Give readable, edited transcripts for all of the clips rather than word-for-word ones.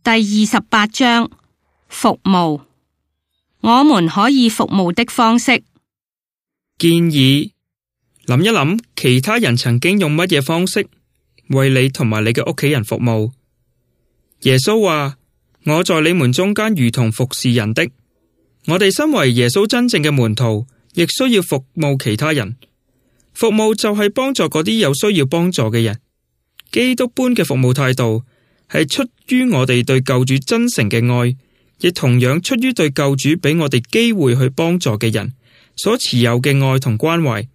第28章服務。我們可以服務的方式。建議諗一諗其他人曾經用乜嘢方式為你同埋你嘅屋企人服務。耶穌話：我在你們中間如同服侍人的。我哋身為耶穌真正嘅門徒，亦需要服務其他人。服務就係幫助嗰啲有需要幫助嘅人。基督般嘅服務態度係出於我哋對救主真誠嘅愛，亦同樣出於對救主俾我哋機會去幫助嘅人所持有嘅愛同關懷。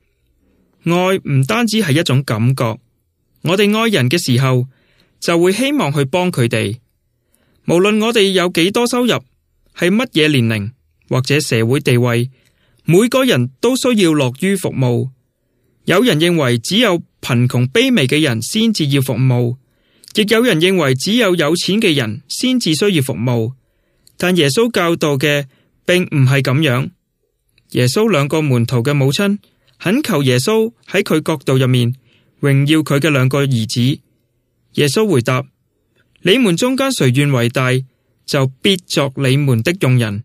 愛唔單止係一種感覺，我哋愛人嘅時候就會希望去幫佢哋。無論我哋有幾多收入，係乜嘢年齡或者社會地位，每個人都需要樂於服務。有人認為只有貧窮卑微嘅人先至要服務，亦有人認為只有有錢嘅人先至需要服務。但耶穌教導嘅並唔係咁樣。耶穌兩個門徒嘅母親懇求耶穌喺佢國度入面榮耀佢嘅兩個兒子。耶穌回答：你們中間誰願為大，就必作你們的用人；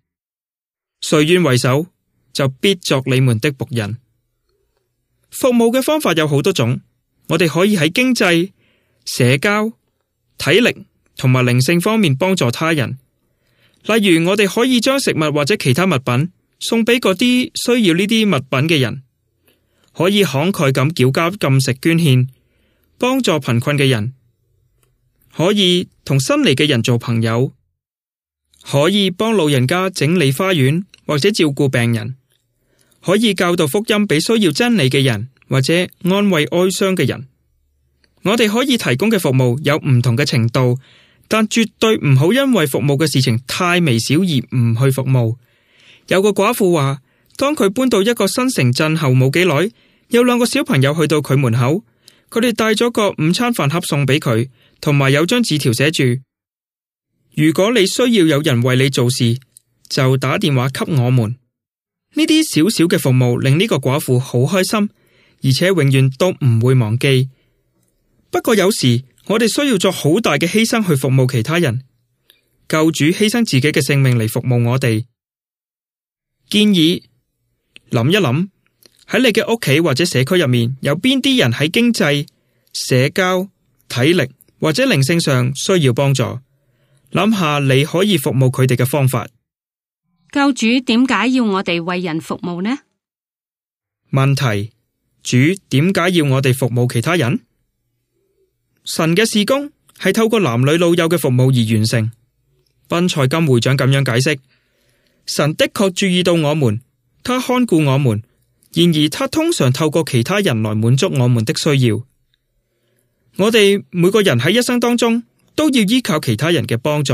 誰願為首，就必作你們的僕人。服務嘅方法有好多種，我哋可以喺經濟、社交、體力同埋靈性方面幫助他人。例如，我哋可以將食物或者其他物品送俾嗰啲需要呢啲物品嘅人，可以慷慨咁繳交禁食捐獻，幫助貧困嘅人，可以同新嚟嘅人做朋友，可以幫老人家整理花園或者照顧病人，可以教導福音俾需要真理嘅人，或者安慰哀傷嘅人。我哋可以提供嘅服務有唔同嘅程度，但絕對唔好因為服務嘅事情太微小而唔去服務。有個寡婦話，當佢搬到一個新城鎮後冇幾耐，有兩個小朋友去到佢門口，佢哋帶咗個午餐飯盒送俾佢，同埋有張紙條寫住：如果你需要有人為你做事，就打電話給我們。呢啲小小嘅服務令呢個寡婦好開心，而且永遠都唔會忘記。不過有時我哋需要做好大嘅犧牲去服務其他人。救主犧牲自己嘅性命嚟服務我哋。建議諗一諗，喺你嘅屋企或者社區入面，有邊啲人喺經濟、社交、體力或者靈性上需要幫助，諗下你可以服務佢哋嘅方法。救主點解要我哋為人服務呢？問題：主點解要我哋服務其他人？神嘅事工係透過男女老幼嘅服務而完成。賓賽金會長咁樣解釋：神的確注意到我們，他看顧我們，然而他通常透過其他人來滿足我們的需要。我哋每個人喺一生當中都要依靠其他人嘅幫助。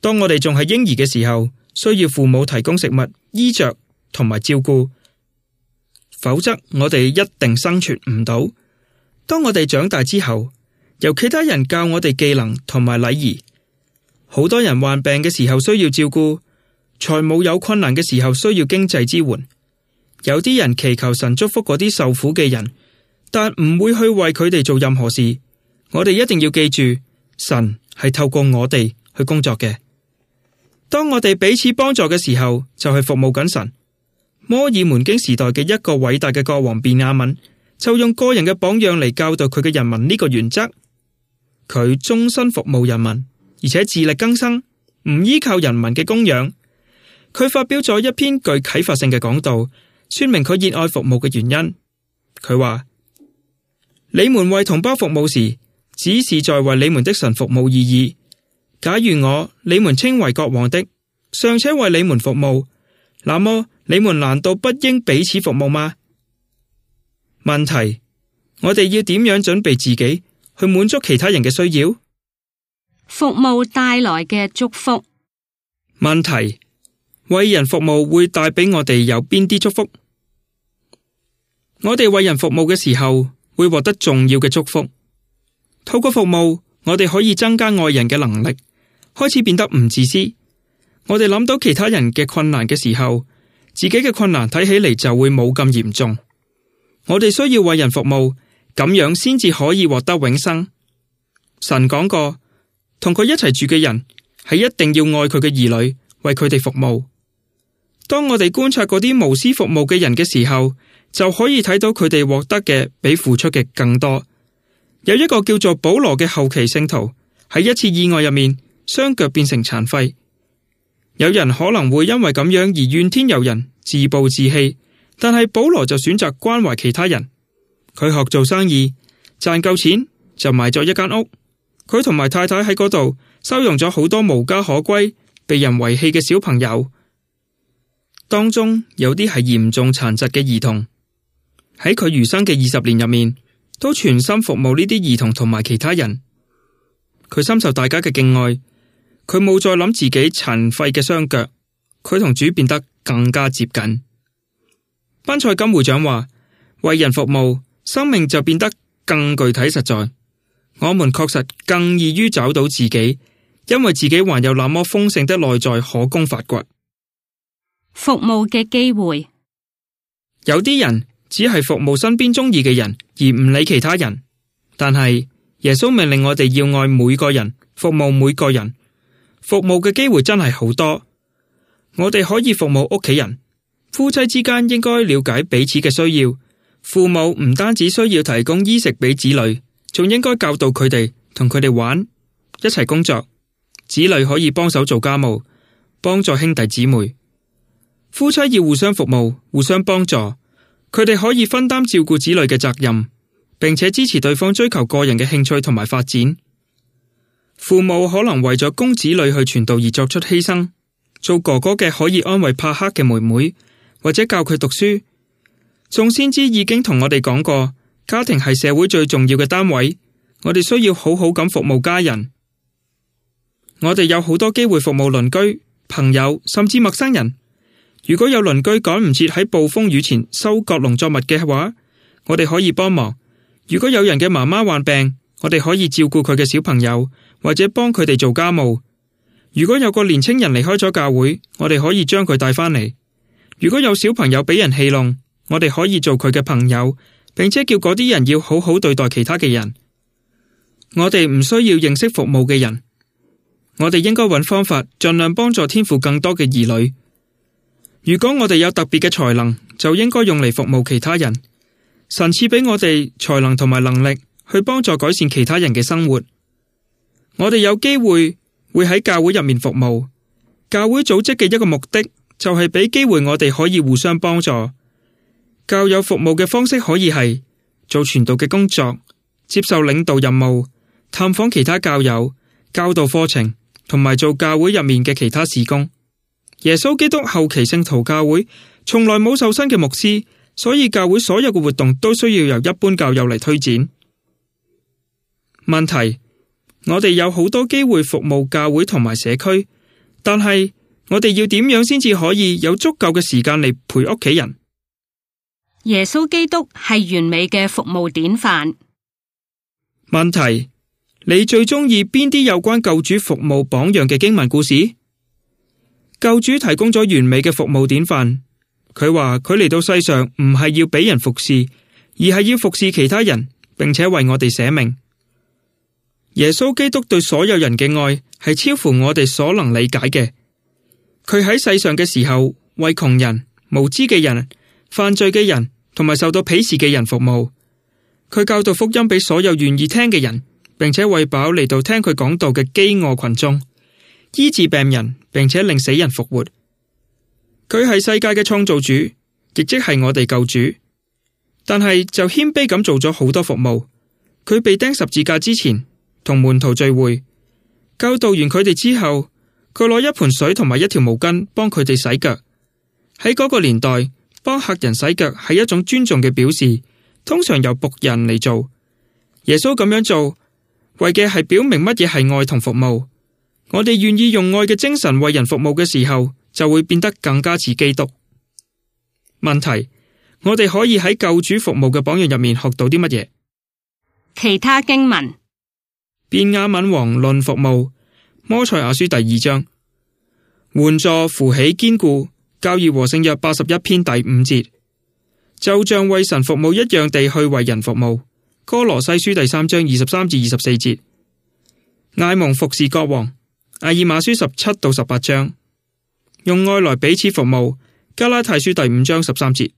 當我哋仲係嬰兒嘅時候，需要父母提供食物、衣着同埋照顧，否則我哋一定生存唔到。當我哋長大之後，由其他人教我哋技能同埋禮儀。好多人患病嘅時候需要照顧，財務有困難嘅時候需要經濟支援。有啲人祈求神祝福嗰啲受苦嘅人，但唔會去為佢哋做任何事。我哋一定要記住，神係透過我哋去工作嘅。當我哋彼此幫助嘅時候，就係服務緊神。摩爾門經時代嘅一個偉大嘅國王便雅憫，就用個人嘅榜樣嚟教導佢嘅人民呢個原則。佢終身服務人民，而且自力更生，唔依靠人民嘅供養。佢發表咗一篇具啟發性嘅講道，說明佢熱愛服務嘅原因。佢話：你們為同胞服務時，只是在為你們的神服務而已。假如你們稱為國王的，尚且為你們服務，那麼你們難道不應彼此服務嗎？問題：我哋要點樣準備自己去滿足其他人嘅需要？服務帶來嘅祝福。問題：為人服務會帶俾我哋有邊啲祝福？我哋為人服務嘅時候，會獲得重要嘅祝福。透過服務，我哋可以增加愛人嘅能力，開始變得唔自私。我哋諗到其他人嘅困難嘅時候，自己嘅困難睇起嚟就會冇咁嚴重。我哋需要為人服務，咁樣先至可以獲得永生。神講過，同佢一齊住嘅人係一定要愛佢嘅兒女，為佢哋服務。當我哋觀察嗰啲無私服務嘅人嘅時候，就可以睇到佢哋獲得嘅比付出嘅更多。有一個叫做保羅嘅後期聖徒，喺一次意外入面，雙腳變成殘廢。有人可能會因為咁樣而怨天尤人、自暴自棄，但係保羅就選擇關懷其他人。佢學做生意，賺夠錢就買咗一間屋。佢同埋太太喺嗰度收容咗好多無家可歸、被人遺棄嘅小朋友，當中有啲係嚴重殘疾嘅兒童。喺佢餘生嘅20年入面，都全心服務呢啲兒童同埋其他人。佢深受大家嘅敬愛，佢冇再諗自己殘廢嘅雙腳，佢同主變得更加接近。班賽金會長話：為人服務，生命就變得更具體實在。我們確實更易於找到自己，因為自己還有那麼豐盛的內在可供發掘。服務嘅機會，有啲人只係服務身邊中意嘅人，而唔理其他人。但係耶穌命令我哋要愛每個人，服務每個人。服務嘅機會真係好多。我哋可以服務屋企人，夫妻之間應該了解彼此嘅需要。父母唔單止需要提供衣食俾子女，仲應該教導佢哋，同佢哋玩，一齊工作。子女可以幫手做家務，幫助兄弟姊妹。夫妻要互相服務，互相幫助。佢哋可以分擔照顧子女嘅責任，並且支持對方追求個人嘅興趣同埋發展。父母可能為咗供子女去傳道而作出犧牲，做哥哥嘅可以安慰怕黑嘅妹妹，或者教佢讀書。眾先知已經同我哋講過，家庭係社會最重要嘅單位，我哋需要好好咁服務家人。我哋有好多機會服務鄰居、朋友，甚至陌生人。如果有鄰居趕唔切喺暴風雨前收割農作物嘅話，我哋可以幫忙。如果有人嘅媽媽患病，我哋可以照顧佢嘅小朋友，或者幫佢哋做家務。如果有個年青人離開咗教會，我哋可以將佢帶返嚟。如果有小朋友俾人戲弄，我哋可以做佢嘅朋友，並且叫嗰啲人要好好對待其他嘅人。我哋唔需要認識服務嘅人，我哋應該揾方法盡量幫助天父更多嘅兒女。如果我哋有特別嘅才能，就應該用嚟服務其他人。神賜俾我哋才能同埋能力，去幫助改善其他人嘅生活。我哋有機會喺教會入面服務。教會組織嘅一個目的，就係俾機會我哋可以互相幫助。教友服務嘅方式可以係做傳道嘅工作，接受領導任務，探訪其他教友，教導課程，同埋做教會入面嘅其他事工。耶穌基督後期聖徒教會從來冇受薪嘅牧師，所以教會所有嘅活動都需要由一般教友嚟推展。問題：我哋有好多機會服務教會同埋社區，但係我哋要點樣先至可以有足夠嘅時間嚟陪屋企人？耶穌基督係完美嘅服務典範。問題：你最中意邊啲有關救主服務榜樣嘅經文故事？救主提供咗完美嘅服務典範。佢話佢嚟到世上唔係要俾人服侍，而係要服侍其他人，並且為我哋捨命。耶穌基督對所有人嘅愛係超乎我哋所能理解嘅。佢喺世上嘅時候，為窮人、無知嘅人、犯罪嘅人同埋受到鄙視嘅人服務。佢教導福音俾所有願意聽嘅人，並且餵飽嚟到聽佢講道嘅飢餓群眾，醫治病人，並且令死人復活。佢係世界嘅創造主，亦即係我哋救主。但係就謙卑咁做咗好多服務。佢被釘十字架之前，同門徒聚會，教導完佢哋之後，佢攞一盆水同埋一條毛巾幫佢哋洗腳。喺嗰個年代，幫客人洗腳係一種尊重嘅表示，通常由僕人嚟做。耶穌咁樣做，為嘅係表明乜嘢係愛同服務。我哋願意用愛嘅精神為人服務嘅時候，就會變得更加似基督。問題：我哋可以喺救主服務嘅榜樣入面學到啲乜嘢？其他經文：便雅憫王論服務，摩賽亞書第2章，援助扶起堅固，教義和聖約81篇第5節，就像為神服務一樣地去為人服務，哥羅西書第3章23至24節。艾蒙服侍國王。阿爾馬書17到18章，用愛來彼此服務。加拉太書第5章13節。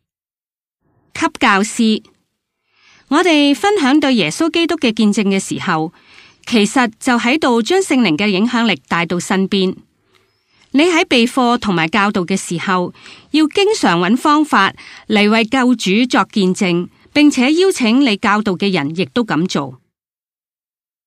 給教師，我哋分享對耶穌基督嘅見證嘅時候，其實就喺度將聖靈嘅影響力帶到身邊。你喺備課同埋教導嘅時候，要經常揾方法嚟為救主作見證，並且邀請你教導嘅人亦都咁做。